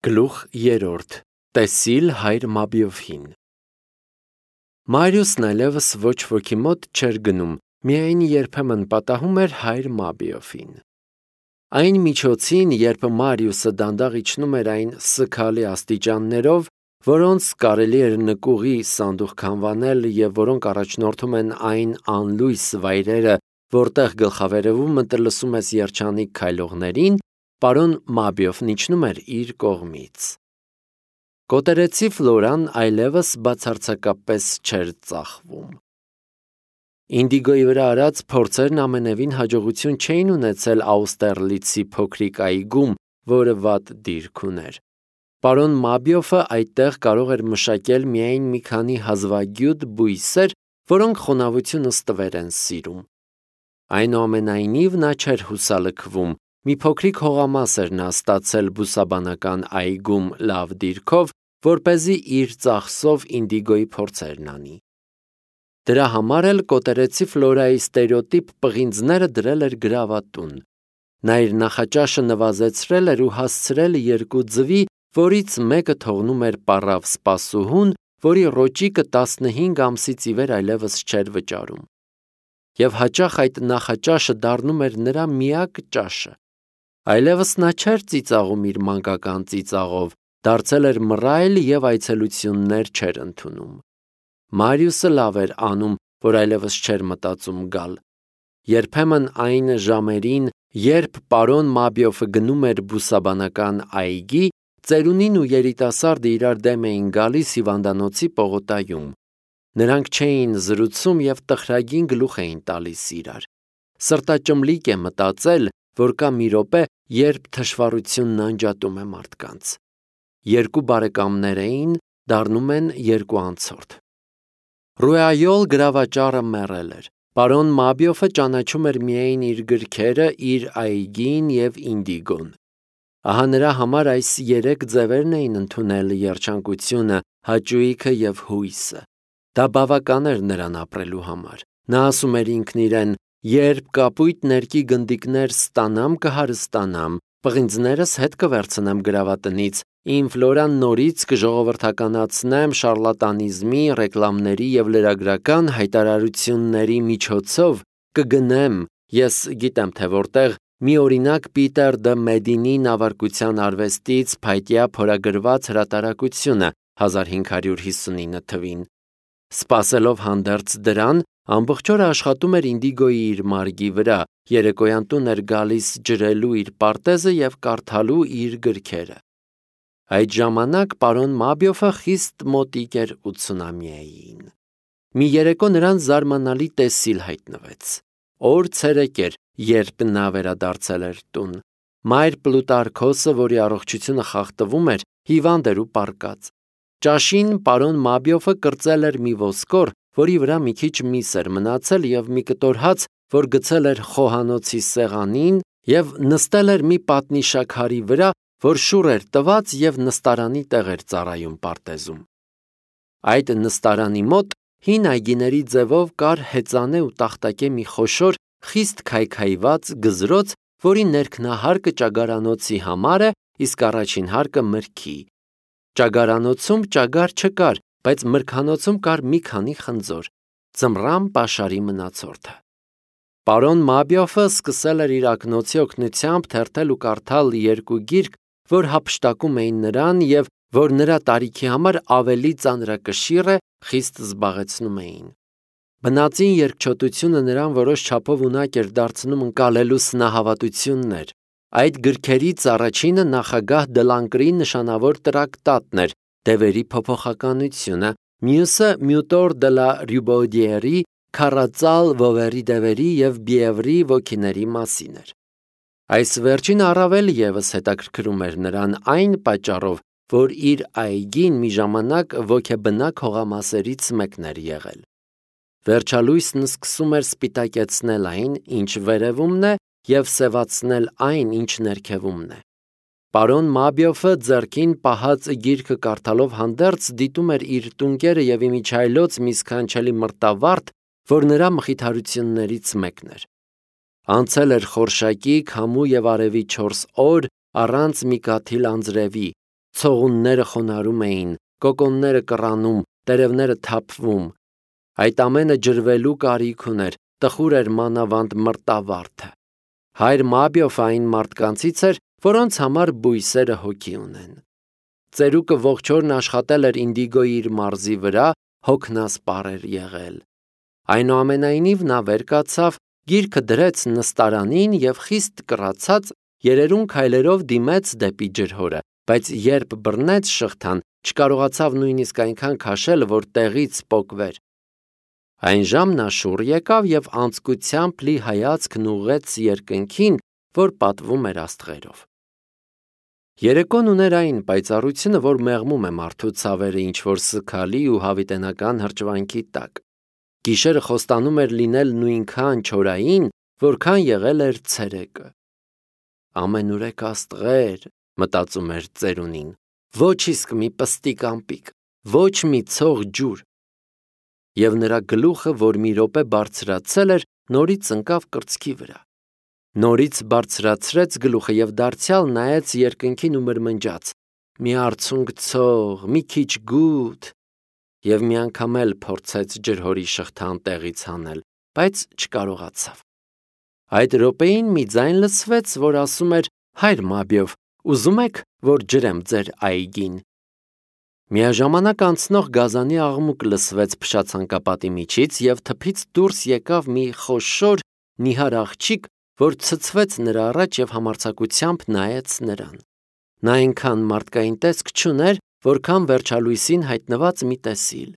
Գլուխ 3. Տեսիլ հայր Մաբիոֆին։ Մարիուսն այլևս ոչ ոքի մոտ չէր գնում, միայն երբեմն պատահում էր հայր Մաբիոֆին։ Այն միջոցին, երբ Մարիուսը դանդաղ իջնում էր այն սգալի աստիճաններով, որոնց կարելի էր նկուղի սանդուղք անվանել և որոնք առաջնորդում են այն անլույս վայրերը, որտեղ գլխավերևում լսում ես երջանիկ քայլողներին, պարոն Մաբիոֆն իջնում էր իր կողմից։ Կոտերեցի Ֆլորան այլևս բացարձակապես չէր ծախվում։ Ինդիգոյի վրա արած փորձերն ամենևին հաջողություն չէին ունեցել Աուստերլիցի փոքրիկ այգում, որը վատ դիրք ուներ։ Պարոն Մաբիոֆը այդտեղ կարող էր մշակել միայն մի քանի հազվագյուտ բույսեր, որոնք խոնավությունը ստվեր են սիրում։ Այնուամենայնիվ նա չէր հուսալքվում, մի փոքրիկ հողամաս էր նա ստացել բուսաբանական այգում լավ դիրքով, որպեսզի իր ծախսով Ինդիգոյի փորձերն անի։ Դրա համար էլ կոտերեցի Ֆլորայի ստերեոտիպ պղինձները դրել էր գրավատուն։ Նա իր նախաճաշը նվազեցրել էր ու հասցրել 2 ձվի, որից մեկը թողնում էր պառավ սպասուհուն, որի ռոճիկը 15 ամսից ի վեր այլևս չէր վճարում։ Եվ հաճախ այդ նախաճաշը դառնում էր նրա միակ ճաշը։ Այլևս նա չէր ծիծաղում իր մանկական ծիծաղով, դարձել էր մռայլ և այցելություններ չէր ընդունում։ Մարիուսը լավ էր անում, որ այլևս չէր մտածում գալ։ Երբեմն այն ժամերին, երբ պարոն Մաբիոֆը գնում էր բուսաբանական այգի, ծերունին ու երիտասարդը իրար դեմ էին գալիս հիվանդանոցի պողոտայում։ Նրանք չէին զրուցում և տխրագին գլուխ էին տալիս իրար։ Սրտաճմլիկ է մտածել, որ կա մի րոպե, երբ թշվառությունն անջատում է մարդկանց։ 2 բարեկամներ էին, դառնում են 2 անցորդ։ Ռուայոլ գրավաճառը մեռել էր։ Պարոն Մաբիոֆը ճանաչում էր միայն իր գրքերը, իր այգին և Ինդիգոն։ Ահա նրա համար այս 3 ձևերն էին ընդունել երջանկությունը, հաճույքը և հույսը։ Դա բավական էր նրան ապրելու համար։ Նա ասում էր ինքն իրեն. «Երբ կապույտ ներկի գնդիկներ ստանամ, կհարստանամ, պղինձներս հետ կվերցնեմ գրավատնից, իմ Ֆլորան նորից կժողովրդականացնեմ շառլատանիզմի, ռեկլամների և լրագրական հայտարարությունների միջոցով, կգնեմ, ես գիտեմ թե որտեղ, մի օրինակ Պիտեր դը Մեդինի նավարկության արվեստից փայտյա փորագրված հրատարակությունը 1559 թվին։ Սպասելով հանդերձ դրան, ամբողջ օրը աշխատում էր Ինդիգոյի իր մարգի վրա, երեկոյան տուն էր գալիս ջրելու իր պարտեզը և կարդալու իր գրքերը։ Այդ ժամանակ պարոն Մաբիոֆը խիստ մոտիկ էր 80-ամյային։ Մի երեկո նրան զարմանալի տեսիլ հայտնվեց։ Օր ցերեկ էր, երբ նա վերադարձել էր տուն։ Մայր Պլուտարքոսը, որի առողջությունը խախտվում էր, հիվանդ էր ու պառկած։ Ճաշին պարոն Մաբիոֆը կրծել էր մի ոսկոր, որի վրա մի քիչ միս էր մնացել և մի կտոր հաց, որ գցել էր խոհանոցի սեղանին և նստել էր մի պատնիշաքարի վրա, որ շուռ էր տված և նստարանի տեղ էր ծառայում պարտեզում։ Այդ նստարանի մոտ հին այգիների ձևով կար հեծանե ու տախտակե մի խոշոր, խիստ քայքայված գզրոց, որի ներքնահարկը ճագարանոցի համար է, իսկ առաջին հարկը մրգի։ Ճագարանոցում ճագար չկար, բայց մրգանոցում կար մի քանի խնձոր, ձմռան պաշարի մնացորդը։ Պարոն Մաբիոֆը սկսել էր իր ակնոցի օգնությամբ թերթել ու կարդալ 2 գիրք, որ հափշտակում էին նրան և որ նրա տարիքի համար ավելի ծանրակշիռ է, խիստ զբաղեցնում էին։ Բնածին երկչոտությունը նրան որոշ չափով ունակ էր դարձնում ընկալելու սնահավատություններ։ Այդ գրքերից առաջինը նախագահ Դլանկրի նշանավոր տրակտատն էր «Դևերի փոփոխականությունը», մյուսը Մյուտոր դը լա Ռյուբոդիերի «Քառածալ Վովերի դևերի և Բիևրի ոգիների մասին» էր։ Այս վերջինը առավել ևս հետաքրքրում էր նրան այն պատճառով, որ իր այգին մի ժամանակ ոգեբնակ հողամասերից մեկն էր եղել։ Վերջալույսն սկսում էր սպիտակեցնել այն, ինչ վերևումն է, և սևացնել այն, ինչ ներքևումն է։ Պարոն Մաբիոֆը ձեռքին պահած գիրքը կարդալով հանդերձ դիտում էր իր տունկերը և իմիջիայլոց մի սքանչելի մրտավարդ, որ նրա մխիթարություններից մեկն էր։ Անցել էր խորշակի, քամու և արևի 4 օր առանց մի կաթիլ անձրևի, ցողունները խոնարհում էին, կոկոնները կռանում, տերևները թափվում։ Այդ ամենը ջրվելու կարիք ուներ, տխուր էր մանավանդ մրտավարդը։ Հայր Մաբիոֆը այն մարդկանցից էր, որոնց համար բույսերը հոգի ունեն։ Ծերուկը ողջ օրն աշխատել էր ինդիգոյի իր մարզի վրա, հոգնասպառ էր եղել։ Այնուամենայնիվ նա վեր կացավ, գիրքը դրեց նստարանին և խիստ կռացած երերուն քայլերով դիմեց դեպի ջրհորը, բայց երբ բռնեց շղթան, չկարողացավ նույնիսկ այնքան քաշել, որ տեղից պոկվեր։ Այն ժամ նա շուռ եկավ և անձկությամբ լի հայացքն ուղղեց երկնքին, որ պատվում էր աստղերով։ Երեկոն ուներ այն պայծառությունը, որ մեղմում է մարդու ցավերը ինչ-որ սգալի ու հավիտենական հրճվանքի տակ։ Գիշերը խոստանում էր լինել նույնքան չորային, որքան եղել էր ցերեկը։ Ամենուրեք աստղեր, մտածում էր ծերունին, ոչ իսկ մի պստիկ ամպիկ, ոչ մի ցող ջուր։ Եվ նրա գլուխը, որ մի րոպե բարձրացել էր, նորից ընկավ կրծքի վրա։ Նորից բարձրացրեց գլուխը և դարձյալ նայեց երկնքին ու մրմնջաց. «Մի արցունք ցող, մի քիչ գութ», և մի անգամ էլ փորձեց ջրհորի շղթան տեղից հանել, բայց չկարողացավ։ Այդ րոպեին մի ձայն լսվեց, որ ասում էր. «Հայր Մաբիով, ուզում եք, որ ջրեմ ձեր այգին»։ Միաժամանակ անցնող գազանի աղմուկ լսվեց փշացանկապատի միջից և թփից դուրս եկավ մի խոշոր նիհար աղջիկ, որ ցցվեց նրա առաջ և համարձակությամբ նայեց նրան։ Նա այնքան մարդկային տեսք չուներ, որքան վերջալույսին հայտնված մի տեսիլ։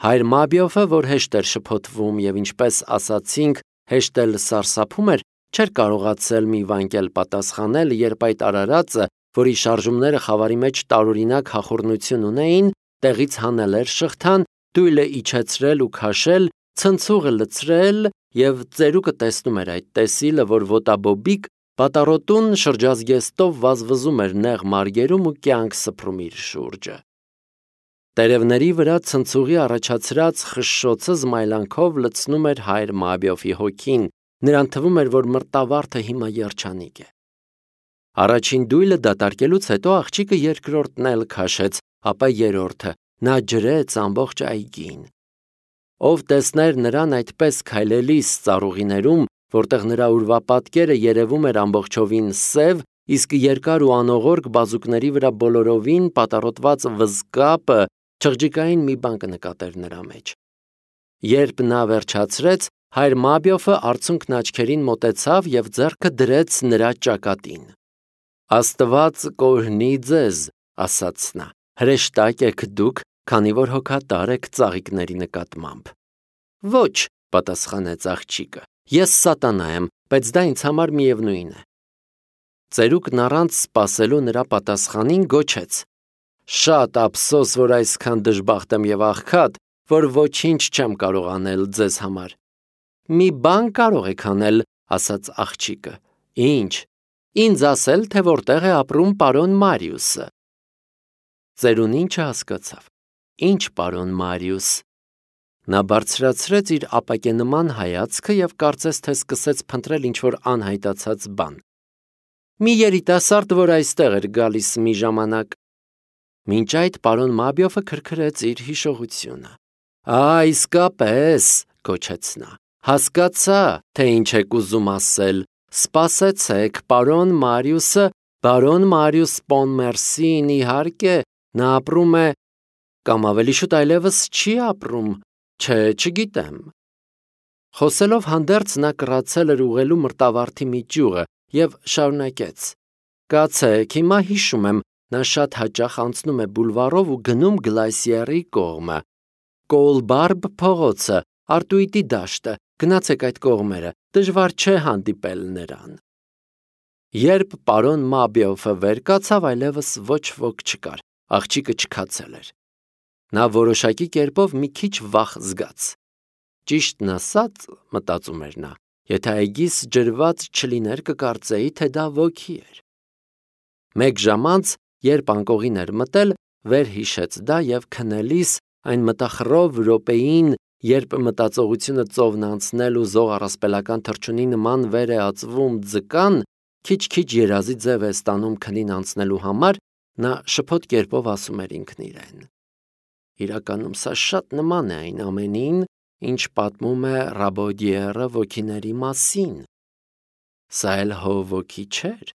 Հայր Մաբիոֆը, որ հեշտ էր շփոթվում և ինչպես ասացինք, հեշտ էլ սարսափում էր, չէր կարողացել մի վանկել պատասխանել, երբ այդ արարածը, որի շարժումները խավարի մեջ տարօրինակ հախուռնություն ունեին, տեղից հանել էր շղթան, դույլը իջեցրել ու քաշել, ցնցուղը լցրել, և ծերուկը տեսնում էր այդ տեսիլը, որ ոտաբոբիկ պատառոտուն շրջազգեստով վազվզում էր նեղ մարգերում ու կյանք սփռում իր շուրջը։ Տերևների վրա ցնցուղի առաջացրած խշշոցը զմայլանքով լցնում էր հայր Մաբիոֆի հոգին, նրան թվում էր, որ մրտավարդը հիմա երջանիկ է։ Առաջին դույլը դատարկելուց հետո աղջիկը երկրորդն էլ քաշեց, ապա երրորդը, նա ջրեց ամբողջ այգին։ Ով տեսներ նրան այդպես քայլելիս ծառուղիներում, որտեղ նրա ուրվապատկերը երևում էր ամբողջովին սև, իսկ երկար ու անողորկ բազուկների վրա բոլորովին պատառոտված վզկապը չղջիկային մի բան կնկատեր նրա մեջ։ Երբ նա վերջացրեց, հայր Մաբիոֆը արցունքն աչքերին մոտեցավ և ձեռքը դրեց նրա ճակատին։ «Աստված կօրհնի ձեզ», ասաց նա, «հրեշտակ եք դուք, քանի որ հոգատար եք ծաղիկների նկատմամբ»։ «Ոչ», պատասխանեց աղջիկը, «ես սատանա եմ, բայց դա ինձ համար միևնույն է»։ Ծերուկն առանց սպասելու նրա պատասխանին գոչեց. «Շատ ափսոս, որ այսքան դժբախտ եմ և աղքատ, որ ոչինչ չեմ կարող անել ձեզ համար»։ «Մի բան կարող եք անել», ասաց աղջիկը։ «Ինչ»։ «Ինձ ասել, թե որտեղ է ապրում պարոն Մարիուսը»։ Ծերունին չհասկացավ. «Ինչ պարոն Մարիուս»։ Նա բարձրացրեց իր ապակենման հայացքը և կարծես թե սկսեց փնտրել ինչ-որ անհայտացած բան։ «Մի երիտասարդ, որ այստեղ էր գալիս մի ժամանակ»։ Մինչ այդ պարոն Մաբիոֆը քրքրեց իր հիշողությունը։ Իսկապես, գոչեց նա, հասկացա, թե ինչ եք ուզում ասել։ Սպասեցեք, պարոն Մարիուսը, բարոն Մարիուս Պոնմերսին, իհարկե, նա ապրում է, կամ ավելի շուտ այլևս չի ապրում, չէ, չգիտեմ։ Խոսելով հանդերձ նա կռացել էր ուղղելու մրտավարդի մի ճյուղը և շարունակեց. «Կացեք, հիմա հիշում եմ, նա շատ հաճախ անցնում է բուլվարով ու գնում Գլասիերի կողմը։ Կոլբարբ փողոցը, Արտուիտի դաշտը, գնացեք այդ կողմերը, դժվար չէ հանդիպել նրան»։ Երբ պարոն Մաբիոֆը վեր կացավ, այլևս ոչ ոք չկար, աղջիկը չքացել էր։ Նա որոշակի կերպով մի քիչ վախ զգաց։ Ճիշտն ասած, մտածում էր նա, եթե այգիս ջրված չլիներ, կկարծեի, թե դա ոգի էր։ Մեկ ժամ անց, երբ անկողին էր մտել, վեր հիշեց դա և քնելիս այն մտախռով րոպեին, երբ մտածողությունը ծովն անցնել ու զող առասպելական թռչունի նման վեր է ածվում ձկան, քիչ-քիչ երազի ձև է ստանում քնին անցնելու համար, Նա շփոթ կերպով ասում էր ինքն իրեն. իրականում սա շատ նման է այն ամենին, ինչ պատմում է Ռաբոդիերը ոգիների մասին։ Սա էլ հո ոգի չէր,